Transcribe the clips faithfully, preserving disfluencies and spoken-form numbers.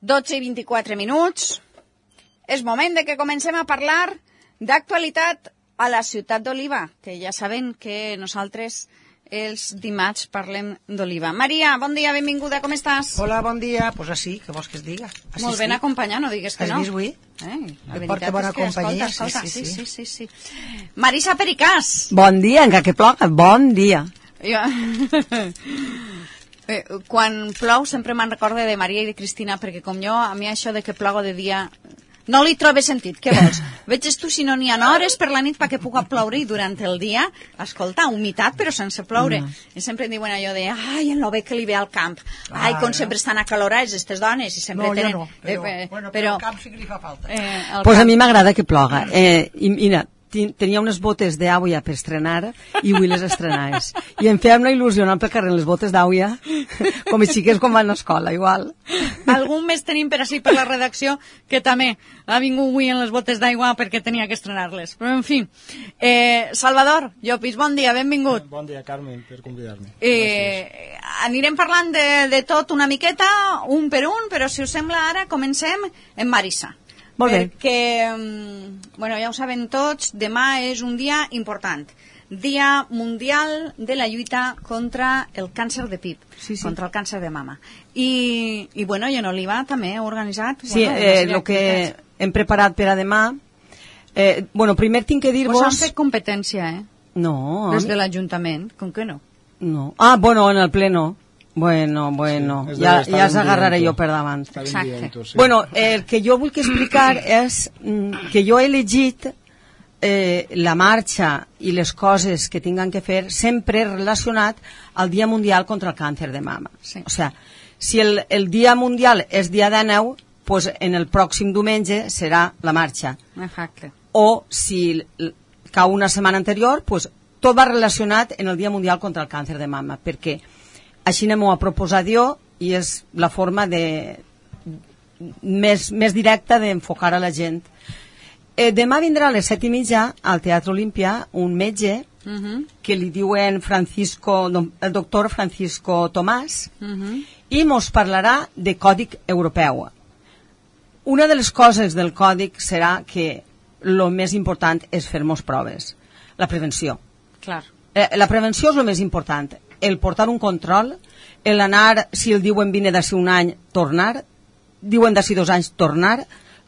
dotze i vint-i-quatre minuts. És moment de que comencem a parlar d'actualitat a la ciutat d'Oliva, que ja saben que nosaltres els dimarts parlem d'Oliva. Maria, bon dia, benvinguda, com estàs? Hola, bon dia. Pues així, que vols que es diga? Així Molt ben sí. acompanyat, no digues que no. Has vist avui? Eh, la Et porta bona veritat és que, companyia, escolta, escolta, sí, sí, sí, sí, sí, sí. Marisa Pericàs. Bon dia, encara que ploga, bon dia. Jo... Eh, quan plou sempre me'n recorde de Maria i de Cristina, perquè com jo, a mi això de que ploga de dia no li trobe sentit. Què vols? Veges tu si no n'hi ha hores per la nit perquè puga ploure i durant el dia, escolta, humitat però sense ploure. No. I sempre em diuen allò de, ai, en lo bé que li ve al camp, ai, ah, com no. sempre estan acalorats aquestes dones i sempre no, tenen... No, però, eh, bueno, però, però el camp sí que li fa falta. Eh, pues camp... a mi m'agrada que ploga. Eh, i mira, tenia unes botes d'àuia per estrenar i avui les estrenaves. I em feia una il·lusió anar pel carrer les botes d'àuia com els xiquets quan van a l'escola, igual. Algun més tenim per així per la redacció que també ha vingut avui en les botes d'aigua perquè tenia que estrenar-les. Però, en fi, eh, Salvador Llopis, bon dia, benvingut. Bon dia, Carmen, per convidar-me. Eh, anirem parlant de, de tot una miqueta, un per un, però si us sembla ara comencem amb Marisa. Molt bé. Perquè, bueno, ja ho saben tots, demà és un dia important. Dia Mundial de la lluita contra el càncer de pip, sí, sí. contra el càncer de mama. I, i bueno, i en Oliva també ha organitzat... Sí, bueno, eh, el que hem preparat per a demà... Eh, bueno, primer tinc que dir-vos... Pues has fet competència, eh? No. Des de l'Ajuntament, com que no? No. Ah, bueno, en el ple no. Bueno, bueno, sí, ja, ja els agarraré jo per davant. Exacte. Sí. Bueno, el que jo vull explicar és que jo he elegit eh, la marxa i les coses que tinguin que fer sempre relacionat al Dia Mundial contra el Càncer de Mama. Sí. O sea, si el, el Dia Mundial és dia dinou, pues en el pròxim diumenge serà la marxa. Exacte. O si cau una setmana anterior, pues tot va relacionat en el Dia Mundial contra el Càncer de Mama, perquè així m'ho ha proposat jo i és la forma de, més, més directa d'enfocar a la gent. Eh, demà vindrà a les set i mitja al Teatre Olímpia un metge uh -huh. que li diuen Francisco, el doctor Francisco Tomàs uh -huh. i mos parlarà de còdic europeu. Una de les coses del còdic serà que el més important és fer-nos proves. La prevenció. Clar. Eh, la prevenció és el més important. El portar un control, el anar, si el diuen vine d'ací un any, tornar, diuen d'ací dos anys, tornar,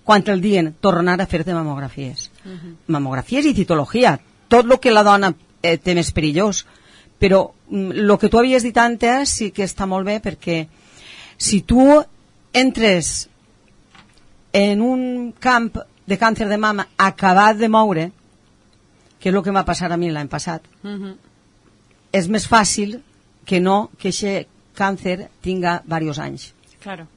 quan el diuen, tornar a fer-te mamografies. Uh -huh. Mamografies i citologia, tot el que la dona eh, té més perillós. Però el que tu havies dit antes sí que està molt bé, perquè si tu entres en un camp de càncer de mama acabat de moure, que és el que m'ha passat a mi l'any passat, uh -huh. és més fàcil que no que aquest càncer tinga diversos anys. Claro.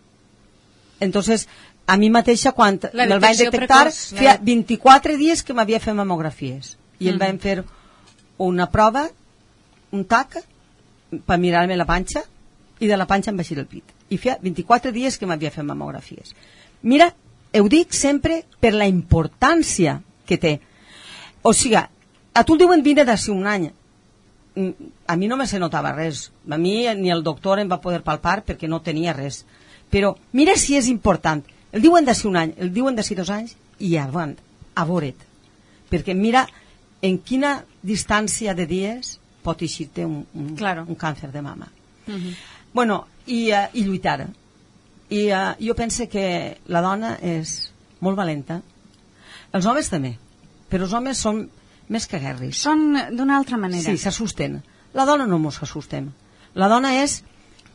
Entonces, a mi mateixa, quan me'l vaig detectar, precoç, feia vint-i-quatre dies que m'havia fet mamografies. I mm. em van fer una prova, un tac, per mirar-me la panxa, i de la panxa em baixir el pit. I feia vint-i-quatre dies que m'havia fet mamografies. Mira, ho dic sempre per la importància que té. O sigui, a tu el diuen vine d'ací un any. A mi no me se notava res. A mi ni el doctor em va poder palpar perquè no tenia res. Però mira si és important. El diuen d'ací un any, el diuen d'ací dos anys i avant, a veure't. Perquè mira en quina distància de dies pot eixir-te un, un, claro. un càncer de mama. Uh -huh. Bueno, i, uh, i lluitar. I uh, jo penso que la dona és molt valenta. Els homes també. Però els homes són més que guerris. Són d'una altra manera. Sí, s'assusten. La dona no mos assustem. La dona és,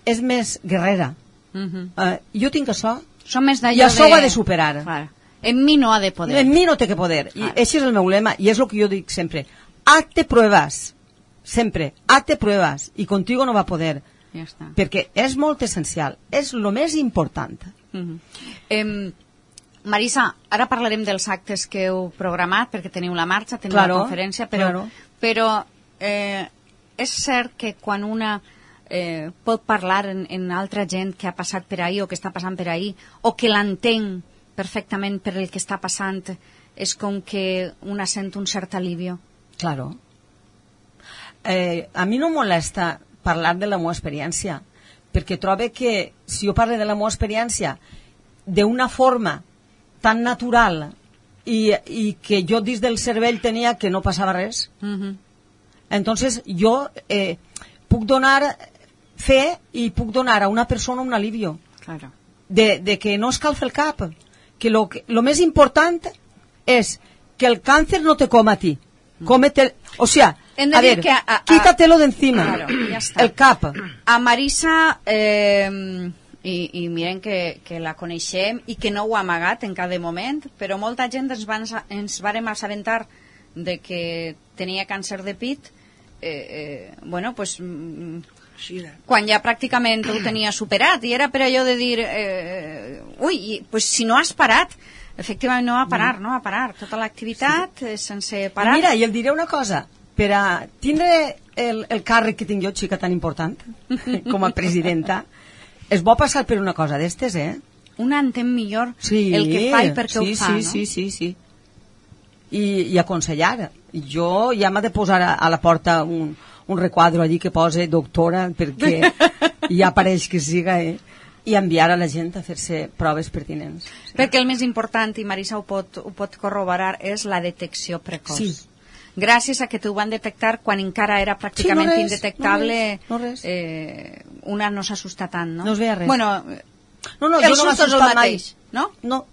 és més guerrera. Uh -huh. uh, jo tinc això Som més i això de... ho ha de superar. Clar. En mi no ha de poder. En mi no té que poder. Clar. I això és el meu lema i és el que jo dic sempre. Hazte pruebas. Sempre. Hazte pruebas. I contigo no va poder. Ja està. Perquè és molt essencial. És el més important. Uh -huh. eh, Marisa, ara parlarem dels actes que heu programat, perquè teniu la marxa, teniu claro, la conferència, però, claro. però eh, és cert que quan una eh, pot parlar en, en altra gent que ha passat per ahí o que està passant per ahí, o que l'entén perfectament per el que està passant, és com que una sent un cert alivio. Claro. Eh, a mi no molesta parlar de la meva experiència, perquè trobo que si jo parlo de la meva experiència d'una forma tan natural i, i que jo dins del cervell tenia que no passava res. Uh-huh. Entonces jo eh, puc donar fe i puc donar a una persona un alivio. Claro. De, de que no escalfa el cap, que lo, que lo més important és que el càncer no te coma a ti, cómete, o sea, a ver, que a, a, quítatelo de encima, claro, ja està. El cap. A Marisa, eh, i, i miren que, que la coneixem i que no ho ha amagat en cada moment, però molta gent ens, van, ens vàrem assabentar de que tenia càncer de pit, eh, eh, bueno, pues... quan ja pràcticament ho tenia superat i era per allò de dir eh, ui, pues si no has parat efectivament no va parar, no va parar tota l'activitat sí. sense parar. Mira, i el diré una cosa, per a tindre el, el càrrec que tinc jo, xica, tan important com a presidenta, es vol passar per una cosa d'estes, eh? Una entén millor sí, el que fa i per què sí, ho fa, sí, no? Sí, sí, sí. I, i aconsellar. Jo ja m'ha de posar a, a la porta un un requadro allí que posa doctora perquè ja pareix que siga eh? I enviar a la gent a fer-se proves pertinents. Sí. Perquè el més important, i Marisa ho pot, ho pot corroborar, és la detecció precoç. Sí. Gràcies a que t'ho van detectar quan encara era pràcticament sí, no res, indetectable, no res, no res. Eh, una no s'assusta tant, no? No es veia res. Bueno, no, no, el jo no susto és el mateix, mai. No? No.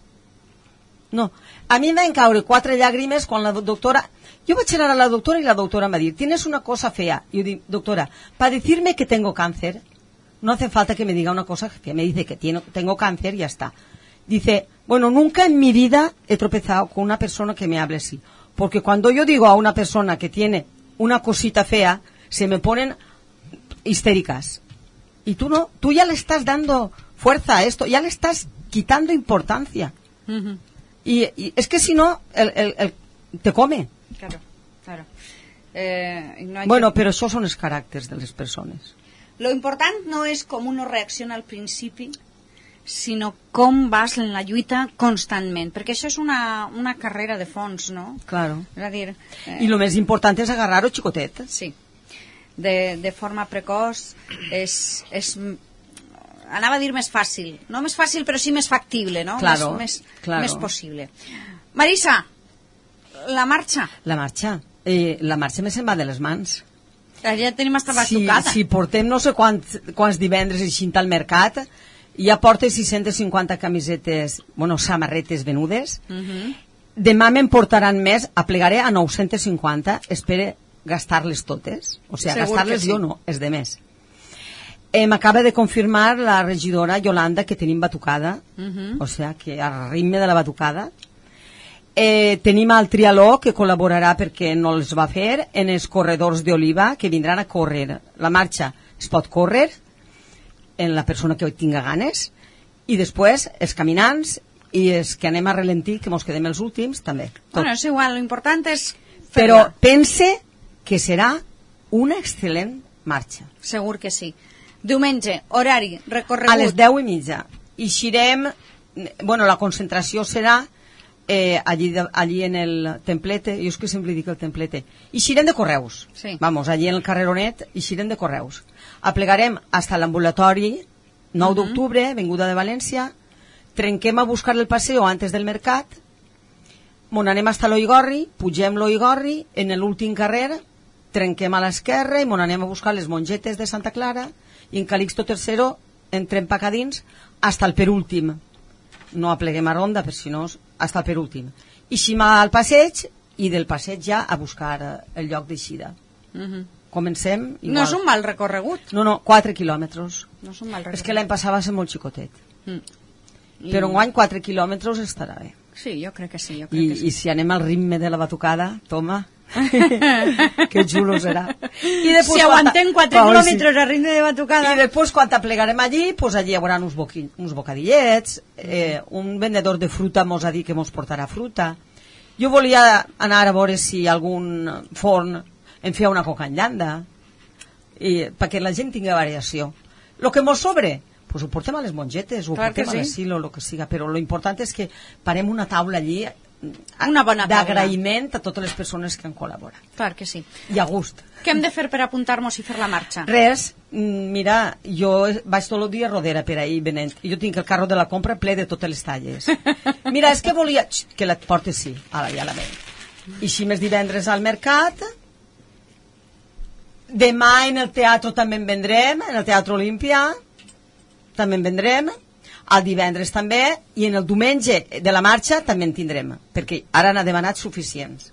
No. A mi em van caure quatre llàgrimes quan la doctora... Yo voy a echar a la doctora y la doctora me dice, tienes una cosa fea. Y yo digo, doctora, para decirme que tengo cáncer, no hace falta que me diga una cosa fea. Me dice que tiene, tengo cáncer y ya está. Dice, bueno, nunca en mi vida he tropezado con una persona que me hable así. Porque cuando yo digo a una persona que tiene una cosita fea, se me ponen histéricas. Y tú no, tú ya le estás dando fuerza a esto, ya le estás quitando importancia. Uh-huh. y, y es que si no, el, el, el, te come. Claro, claro. Eh, no bueno, que... però això són els caràcters de les persones. Lo important no és com uno reacciona al principi, sinó com vas en la lluita constantment, perquè això és una, una carrera de fons, no? Claro. És a dir... Eh... I el més important és agarrar-ho xicotet. Sí. De, de forma precoç és... és anava a dir més fàcil. No més fàcil, però sí més factible, no? Claro, més, més, claro. més possible. Marisa, la marxa. La marxa. Eh, la marxa me se'n va de les mans. Ja tenim hasta la si, tocada. Si portem no sé quants, quants divendres així al mercat, ja porta sis-centes cinquanta camisetes, bueno, samarretes venudes. Uh-huh. Demà me'n portaran més, aplegaré a nou-centes cinquanta, espere gastar-les totes. O sigui, gastar-les sí. Jo no, és de més. Eh, M'acaba de confirmar la regidora Yolanda que tenim batucada, uh-huh. O sigui, que al ritme de la batucada. Eh, tenim el Trialó que col·laborarà perquè no els va fer en els corredors d'Oliva que vindran a córrer. La marxa es pot córrer en la persona que tinga ganes i després els caminants i els que anem a ralentir, que mos quedem els últims també. Tot. Bueno, és igual, l'important és fer-la. Però pense que serà una excel·lent marxa. Segur que sí. Diumenge, horari, recorregut. A les deu i mitja. Eixirem, bueno, la concentració serà Eh, allí, de, allí en el templete, jo és que sempre dic el templete, eixirem de Correus, sí. Vamos, allí en el carreronet, eixirem de Correus, aplegarem hasta l'ambulatori nou d'octubre, uh-huh. Venguda de València, trenquem a buscar el paseo antes del mercat, mon anem hasta l'Oigorri, pugem l'Oigorri, en l'últim carrer, trenquem a l'esquerra i mon anem a buscar les mongetes de Santa Clara i en Calixto tercero entrem pa dins hasta el penúltim. No apleguem a ronda, per si no, hasta el penúltim. Ixim al passeig i del passeig ja a buscar el lloc d'eixida. Uh-huh. Comencem igual. No és un mal recorregut. No, no, quatre quilòmetres. No és un mal recorregut. És que l'any passat va ser molt xicotet. Mm. I... Però enguany quatre quilòmetres estarà bé. Sí, jo crec que sí. Jo crec I, que sí. I si anem al ritme de la batucada, toma... que xulo serà. I si aguantem quatre quilòmetres a ritme de batucada. I després quan t'aplegarem allí, pues allí hi haurà uns, boqui, uns bocadillets, eh, un vendedor de fruta mos ha dit que mos portarà fruta. Jo volia anar a veure si algun forn em feia una coca en llanda i, perquè la gent tingui variació. Lo que mos sobre, pues ho portem a les mongetes, ho Clar portem sí. a l'asilo, lo que siga, però lo important és que parem una taula allí una bona taula d'agraïment a totes les persones que han col·laborat. Clar que sí. I a gust. Què hem de fer per apuntar-nos i fer la marxa? Res, mira, jo vaig tot el dia a Rodera per ahir venent. Jo tinc el carro de la compra ple de totes les talles. Mira, és que volia... Xt, que la portes, sí. Ara ja la veig. I així més divendres al mercat. Demà en el teatre també en vendrem, en el Teatre Olímpia. També en vendrem. El divendres també, i en el diumenge de la marxa també en tindrem, perquè ara n'ha demanat suficients.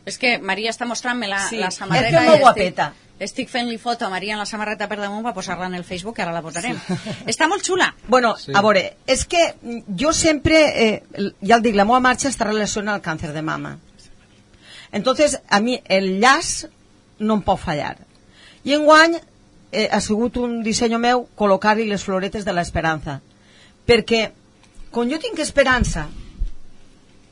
És que Maria està mostrant-me la, sí, la samarreta. és que és molt guapeta. Estic, estic fent-li foto a Maria en la samarreta per damunt per posar-la en el Facebook, que ara la posarem. Sí. Està molt xula. Bueno, sí. A veure, és que jo sempre, eh, ja el dic, la meva marxa està relacionada al càncer de mama. Entonces, a mi el llaç no em pot fallar. I enguany eh, ha sigut un disseny meu col·locar-hi les floretes de l'esperança. Perquè, quan jo tinc esperança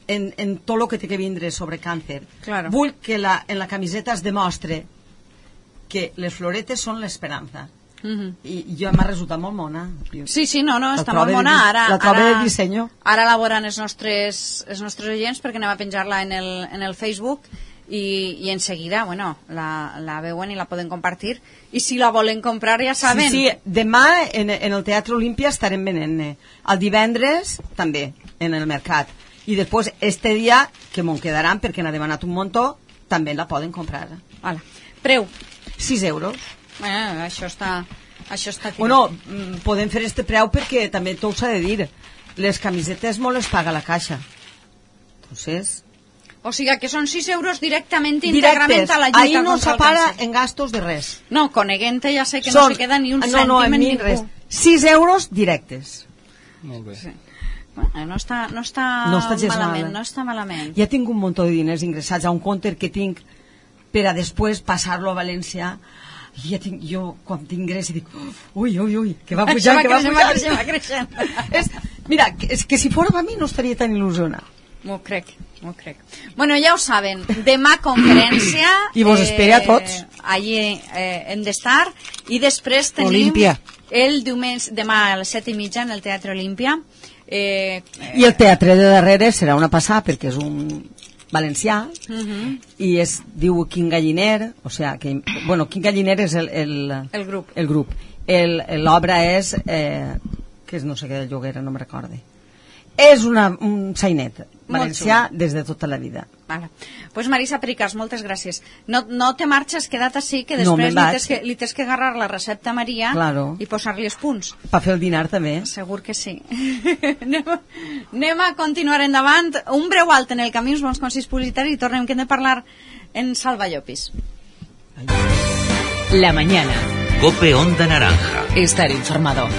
en, en tot el que té que vindre sobre càncer, claro. Vull que la, en la camiseta es demostre que les floretes són l'esperança. Uh-huh. I jo m'ha resultat molt mona. Sí, sí, no, no, està molt mona. Ara, la troba ara, de disseny. Ara la veuran els nostres, els nostres oients, perquè anem a penjar-la en el, en el Facebook i, i en seguida, bueno, la, la veuen i la poden compartir, i si la volen comprar ja saben. Sí, sí, demà en, en el Teatre Olímpia estarem venent-ne. El divendres també, en el mercat. I després, este dia, que m'ho quedaran perquè n'ha demanat un muntó, també la poden comprar. Hola. Preu? sis euros. Eh, això està... Això està bueno, podem fer este preu perquè també tot s'ha de dir. Les camisetes molt les paga la caixa. Entonces... O sigui que són sis euros directament íntegrament a la lluita ahí no contra el separa càncer. en gastos de res. No, coneguent ja sé que són, no se queda ni un no, cèntim no, en, en ningú. Res. sis euros directes. Molt bé. Sí. Bueno, no està, no està, no està malament, mal. no està malament. Ja tinc un munt de diners ingressats a un compte que tinc per a després passar-lo a València. I ja tinc, jo quan tinc ingrés dic ui, ui, ui, que va pujar, que va pujar. Va creixent, va creixent. és, mira, és que si fora per mi no estaria tan il·lusionat. M'ho crec, m'ho crec. Bueno, ja ho saben, demà conferència... I vos eh, espera a tots. Allí eh, hem d'estar. I després tenim... Olímpia. El diumenge, demà a les set i mitja en el Teatre Olímpia. Eh, I el teatre de darrere serà una passada perquè és un valencià uh-huh. i es diu Quin Galliner, o sea, que, bueno, Quin Galliner és el, el, el grup. El grup. L'obra és, eh, que és no sé què de Lloguera, no me recorde. És una, un sainet valencià des de tota la vida. Vale. Pues Marisa Pericas, moltes gràcies. No, no te marxes, queda't així, que després no, li, tens que, li tens que agarrar la recepta a Maria claro. I posar-li els punts. Per fer el dinar també. Segur que sí. anem, a, anem a continuar endavant. Un breu alt en el camí, uns bons consells publicitaris i tornem, que hem de parlar en Salva Llopis. La mañana. Cope Onda Naranja. Estar informado.